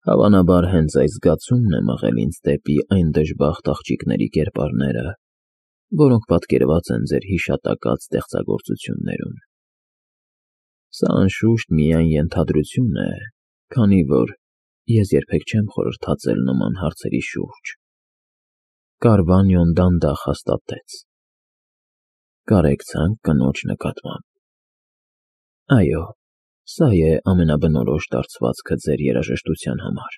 Հավանաբար հենց այս զգացումն է մղել ինձ դեպի այն դժբախտ աղջիկների կերպարները, որոնք պատկերված են ձեր հիշատակած ստեղծագործություններում։ Սա անշուշտ միայն ենթադրություն է, քանի որ ես երբեք չեմ խորհրդածել նման հարցերի շուրջ։ Կարվանյոն դանդաղ հաստատեց. Կարեկցանք կնոջ նկատմամբ։ Այո, սա է ամենաբնորոշ դարձվածքը ձեր երաժշտության համար։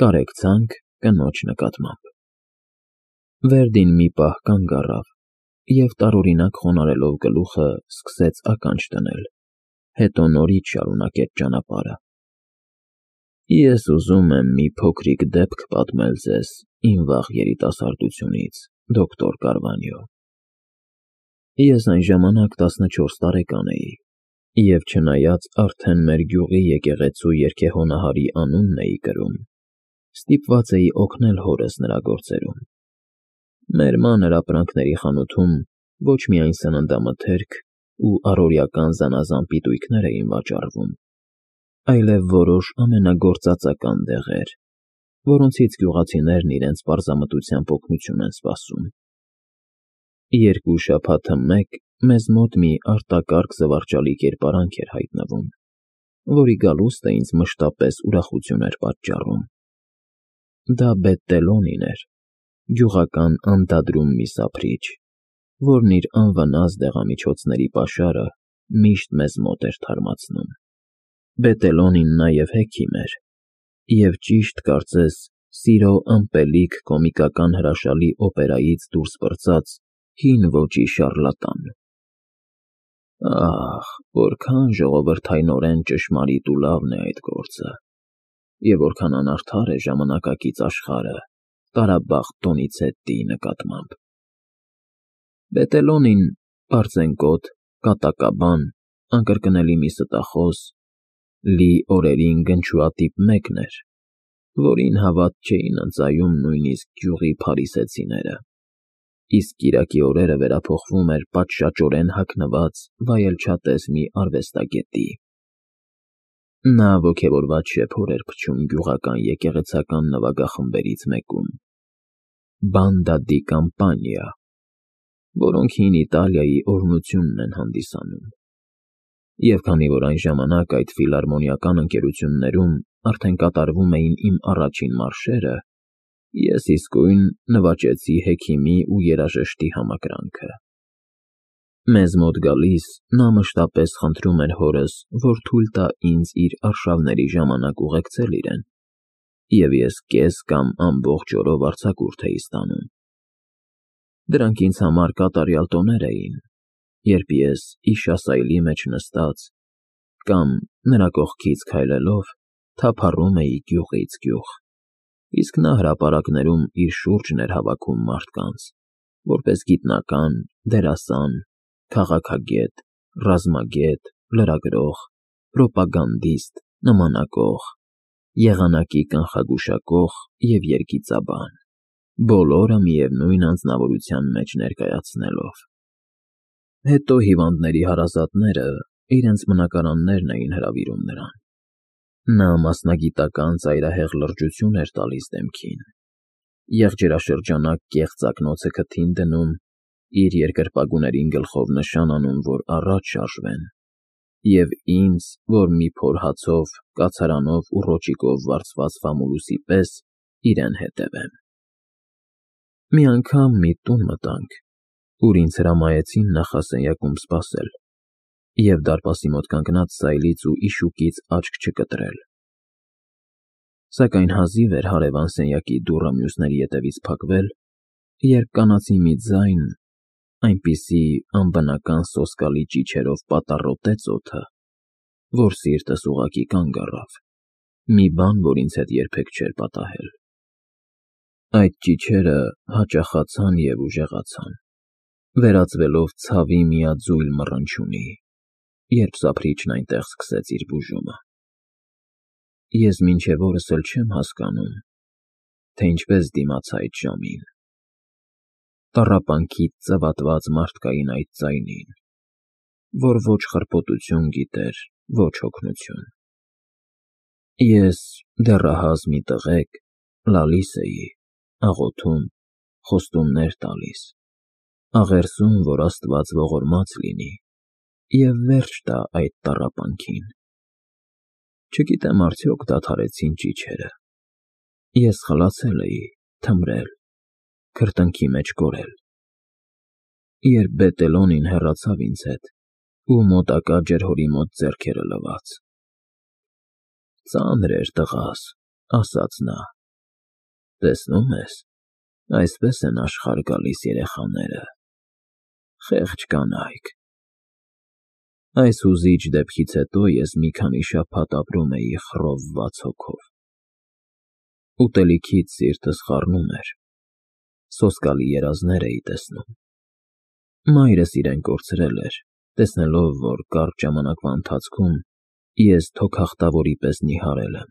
Կարեկցանք կնոջ նկատմամբ։ Վերդին մի պահ կանգ առավ և տարօրինակ խոնարհելով գլուխը սկսեց ականջ դնել, հետո նորից շարունակեց ճանապարհը։ Ես ուզում եմ մի փոքրիկ դեպք պատմել ձեզ իմ վաղ երիտասարդությունից, դոկտոր Կարվանյո։ Ես այն ժամանակ 14 տարեկան էի, և չնայած արդեն մեր գյուղի եկեղեցու երգեհոնահարի անունն էի կրում, ստիպված էի օգնել հորս նրա գործերում։ Մեր մանր ապրանքների խանութում ոչ միայն սննդամթերք ու առօրեական զանազան պիտույքներ էին վաճառվում, այլև որոշ ամենագործածական դեղեր, որոնցից գյուղացիներն իրենց պարզամտությամբ օգնություն են սպասում։ Երկու շաբաթը մեկ մեզ մոտ մի արտակարգ զվարճալի կերպարանք էր հայտնվում, որի գալուստը ինձ մշտապես ուրախություն էր պատճառում։ Դա Բետտելոնին էր, գյուղական անդադրում մի սափրիչ, որն իր անվնաս դեղամիջոցների պաշարը միշտ մեզ մոտ էր թարմացնում։ Բետտելոնին նաև հեքիմ էր, և ճիշտ կարծես սիրո ըմպելիք կոմիկական հրաշալի օպերայից դուրս պրծած հին ոճի շառլատան։ Ահ, որքան ժողովրդայնորեն ճշմարիտ ու լավն է այդ գործը, և որքան անարդար է ժամանակակից աշխարհը տարաբախտ Դոնիցետտիի նկատմամբ։ Բետտելոնին պարծենկոտ, կատակաբան, անկրկնելի մի ստախոս, լի օրերին գնչուատիպ մեկն էր, որին հավատ չէին ընծայում նույնիսկ գյուղի փարիսեցիները, իսկ կիրակի օրերը վերափոխվում էր պատշաճորեն հագնված վայելչատես մի արվեստագետի։ Նա ոգևորված շեփոր էր փչում գյուղական եկեղեցական նվագախմբերից մեկում, Բանդա դի Կամպանիա, որոնք հին Իտալիայի օրհնությունն են հանդիսանում։ Եվ քանի որ այն ժամանակ այդ ֆիլհարմոնիական ընկերություններում արդեն կատարվում էին իմ առաջին մարշերը, ես իսկույն նվաճեցի հեքիմի ու երաժշտի համակրանքը։ Մեզ մոտ գալիս նա մշտապես խնդրում էր հորս, որ թույլ տա ինձ իր արշավների ժամանակ ուղեկցել իրեն, և ես կես կամ ամբողջ օրով արձակուրդ էի ստանում։ Դրանք ինձ համար կատարյալ տոներ էին, երբ ես իշասայլի մեջ նստած կամ նրա կողքից քայլելով թափառում էի գյուղից գյուղ, իսկ նա հրապարակներում իր շուրջն էր հավաքում մարդկանց, որպես գիտնական, դերասան, քաղաքագետ, ռազմագետ, լրագրող, պրոպագանդիստ, նմանակող, եղանակի կանխագուշակող և երգիծաբան, բոլորը միևնույն անձնավորության մեջ ներկայացնելով։ Հետո հիվանդների հարազատները իրենց բնակարաններն էին հրավիրում նրան։ Նա մասնագիտական ծայրահեղ լրջություն էր տալիս դեմքին, եղջերաշրջանակ կեղծ ակնոցը քթին դնում, իր երկրպագուներին գլխով նշան անում, որ առաջ շարժվեն, և ինձ, որ մի փոր հացով, կացարանով ու ռոճիկով վարձված ֆամուլուսի պես իրեն հետևեմ։ Մի անգամ մի տուն մտանք, ուր ինձ հրամայեցին նախասենյակում սպասել և դարպասի մոտ կանգնած սայլից ու իշուկից աչք չկտրել։ Սակայն հազիվ էր հարևան սենյակի դուռը մյուսների ետևից փակվել, երբ կանացի մի ձայն այնպիսի անբնական սոսկալի ճիչերով պատառոտեց օդը, որ սիրտս ուղղակի կանգ առավ, մի բան, որ ինձ հետ երբեք չէր պատահել։ Այդ ճիչերը հաճախացան և ուժեղացան, վերածվելով ցավի միաձույլ մռնչյունի, երբ սափրիչն այնտեղ սկսեց իր բուժումը։ Ես մինչև օրս էլ չեմ հասկանում, թե ինչպես դիմացա այդ ժամին, տառապանքից ծվատված մարդկային այդ ձայնին, որ ոչ խրպոտություն գիտեր, ոչ հոգնություն։ Ես դեռահաս մի տղեկ լալիս էի, աղոթում, խոստումներ տալիս, աղերսում, որ Աստված ողորմած լինի և վերջ տա այդ տառապանքին։ Չգիտեմ արդյոք դադարեցին ճիչերը։ Ես խլացել էի, թմրել, քրտինքի մեջ կորել, երբ Բետելոնին հեռացավ ինձ հետ ու մոտակա ջրհորի մոտ ձեռքերը լվաց։ «Ծանր էր, տղաս», ասաց նա, «տեսնում ես, այսպես են աշխարհ գալիս երեխաները, խեղճ կանայք»։ Այս հուզիչ դեպքից հետո ես մի քանի շաբաթ ապրում էի խռովված հոգով։ Ուտելիքից սիրտս խառնում էր, սոսկալի երազներ էի տեսնում։ Մայրս իրեն կորցրել էր, տեսնելով, որ կարճ ժամանակվա ընթացքում ես թոքախտավորի պես նիհարել եմ։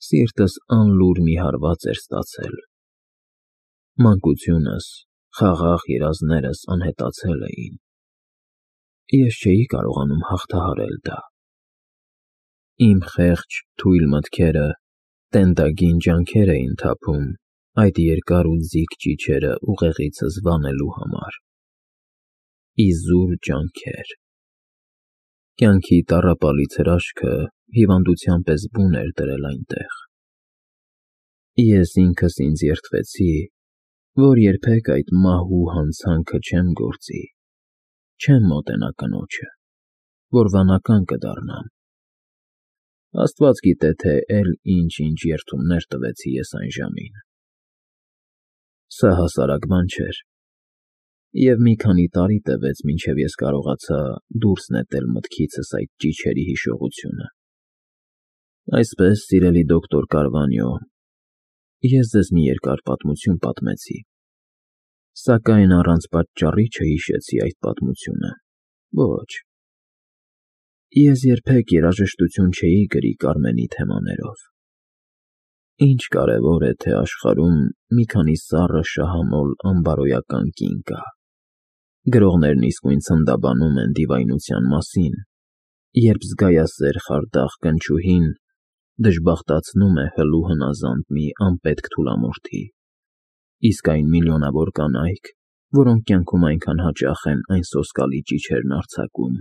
Սիրտս անլուր մի հարված էր ստացել։ Մանկությունս, խաղաղ երազներս անհետացել էին։ Ես չէի կարողանում հաղթահարել դա։ Իմ խեղճ, թույլ մտքերը տենդագին ջանքեր էին թափում այդ երկար ու ձիգ ճիչերը ուղեղիցս վանելու համար։ Իզուր ջանքեր։ Կյանքի տառապալից հրաշքը հիվանդության պես բուն էր դրել այնտեղ։ Ես ինքս ինձ երդվեցի, որ երբեք այդ մահու հանցանքը չեմ գործի, չեմ մոտենա կնոջը, որ վանական կդառնամ։ Աստված գիտե, թե էլ ինչ երդումներ տվեցի ես այն ժամին։ Սա հասարակ բան չէր, և մի քանի տարի տևեց, մինչև ես կարողացա դուրս նետել մտքիցս այդ ճիչերի հիշողությունը։ Այսպես, սիրելի դոկտոր Կարվանյո, ես ձեզ մի երկար պատմություն պատմեցի, սակայն առանց պատճառի չհիշեցի այդ պատմությունը, ոչ։ Ես երբեք երաժշտություն չէի գրի Կարմենի թեմաներով։ Ինչ կարևոր է, թե աշխարհում մի քանի սառը շահամոլ անբարոյական կին կա։ Գրողներն իսկույն ցնդաբանում են դիվայնության մասին, երբ զգայասեր խարդախ կնչուհին դժբախտացնում է հլու հնազանդ մի անպետք թուլամորթի, իսկ այն միլիոնավոր կանայք, որոնք կյանքում այնքան հաճախ են այն սոսկալի ճիչերն արձակում։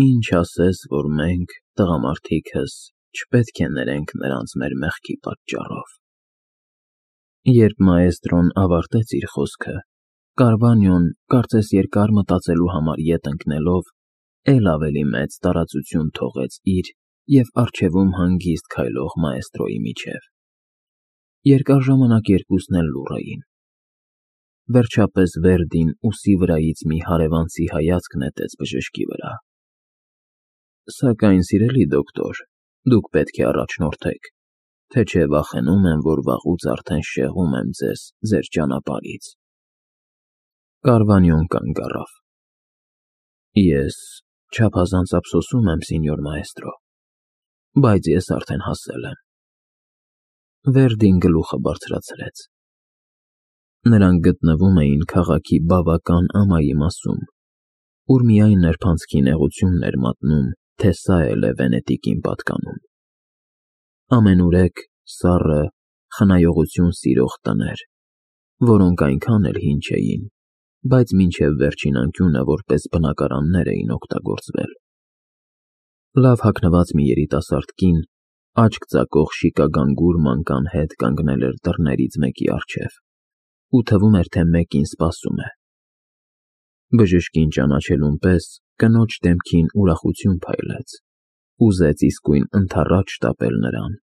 Ինչ ասես, որ մենք, տղամարդիկս, չպետք է ներենք նրանց մեր մեղքի պատճառով։ Երբ մաեստրոն ավարտեց իր խոսքը, Կարվանյոն, կարծես երկար մտածելու համար ետ ընկնելով, էլ ավելի մեծ տարածություն թողեց իր և առջևում հանգիստ քայլող մաեստրոյի միջև։ Երկար ժամանակ երկուսն էլ լուռ էին։ Վերջապես Վերդին ուսի վրայից մի հարևանցի հայացք նետեց բժշկի վրա։ Սակայն, սիրելի դոկտոր, դուք պետք է առաջնորդեք, թե չէ վախենում եմ, որ վաղուց արդեն շեղում եմ ձեզ ձեր ճանապարհից։ Կարվանյոն կանգ առավ։ Ես չափազանց ափսոսում եմ, սենյոր մաեստրո, բայց ես արդեն հասել եմ։ Վերդին գլուխը բարձրացրեց։ Նրանք գտնվում էին քաղաքի բավական ամայի մասում, ուր միայն նրբանցքի նեղությունն էր մատնում, թե սա էլ է Վենետիկին պատկանում։ Ամենուրեք, սառը, խնայողություն սիրող տներ, որոնք այնքան էլ հին չէին, բայց մինչև վերջին անկյունը որպես բնակարաններ էին օգտագործվել։ Լավ հագնված մի երիտասարդ կին, աչք ծակող շիկագանգուր մանկան հետ կանգնել էր դռներից մեկի առջև, ու թվում էր, թե մեկին սպասում է։ Բժշկին ճանաչելուն պես կնոջ դեմքին ուրախություն փայլեց, ուզեց իսկույն ընդառաջ շտապել նրան,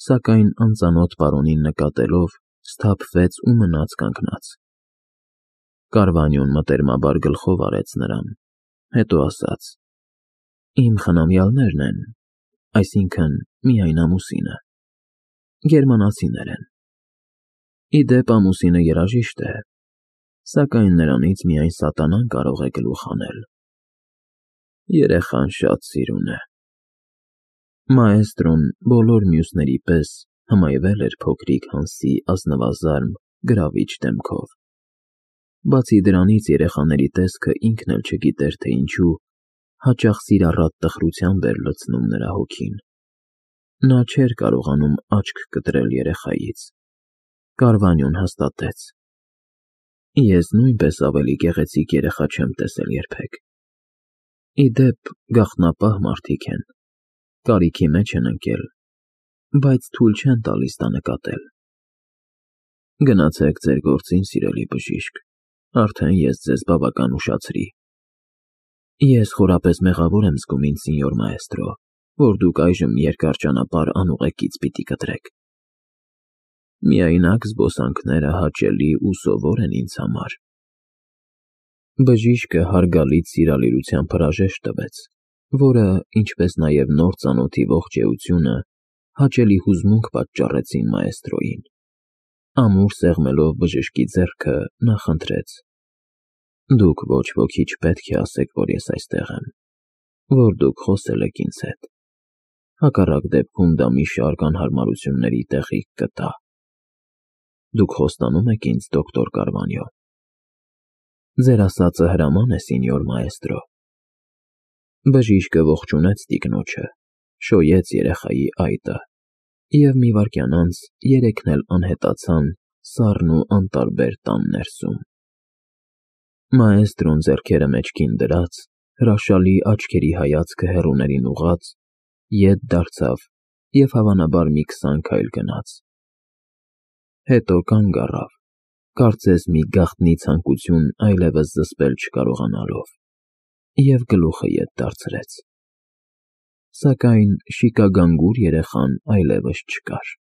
սակայն անծանոթ պարոնին նկատելով սթափվեց ու մնաց կանգնած։ Կարվանյոն մտերմաբար գլխով արեց նրան, հետո ասաց. Իմ խնամյալներն են, այսինքն միայն ամուսինը, գերմանացիներ են։ Ի դեպ ամուսինը երաժիշտ է, սակայն նրանից միայն սատանան կարող է գլուխ հանել։ Երեխան շատ սիրուն է։ Մաեստրոն բոլոր մյուսների պես հմայվել էր փոքրիկ Հանսի ազնվազարմ, գրավիչ դեմքով։ Բացի դրանից երեխաների տեսքը ինքն էլ չգիտեր, թե ինչու հաճախ սիրառատ տխրությամբ էր լցնում նրա հոգին։ Նա չէր կարողանում աչք կտրել երեխայից։ Կարվանյոն հաստատեց. Ես նույնպես ավելի գեղեցիկ երեխա չեմ տեսել երբեք։ Ի դեպ, գաղտնապահ մարդիկ են, կարիքի մեջ են ընկել, բայց թույլ չեն տալիս դա նկատել։ Գնացեք ձեր գործին, սիրելի բժիշկ, արդեն ես ձեզ բավական ուշացրի։ Ես խորապես մեղավոր եմ զգում ինձ, սենյոր մաեստրո, որ դուք այժմ երկար ճանապարհ անուղեկից պիտի կտրեք։ Միայնակ զբոսանքները հաճելի ու սովոր են ինձ համար։ Բժիշկը հարգալից սիրալիրությամբ հրաժեշտ տվեց, որը, ինչպես նաև նոր ծանոթի ողջեյությունը, հաճելի հուզմունք պատճառեցին մաեստրոյին։ Ամուր սեղմելով բժշկի ձեռքը, նա խնդրեց. Դուք ոչ ոքի չպետք է ասեք, որ ես այստեղ եմ, որ դուք խոսել եք ինձ հետ։ Հակառակ դեպքում դա մի շարք անհարմարությունների տեղիք կտա։ Դուք խոստանում եք ինձ, դոկտոր Կարվանյո։ Ձեր ասածը հրաման է, սենյոր մաեստրո։ Բժիշկը ողջունեց տիկնոջը, շոյեց երեխայի այտը, և մի վայրկյան անց երեքն էլ անհետացան սառն ու անտարբեր տան ներսում։ Մաեստրոն ձեռքերը մեջքին դրած, հրաշալի աչքերի հայացքը հեռուներին ուղղած, ետ դարձավ և հավանաբար մի 20 քայլ գնաց։ Հետո կանգ առավ, կարծես մի գաղտնի ցանկություն այլևս զսպել չկարողանալով, և գլուխը ետ դարձրեց։ Սակայն շիկագանգուր երեխան այլևս չկար։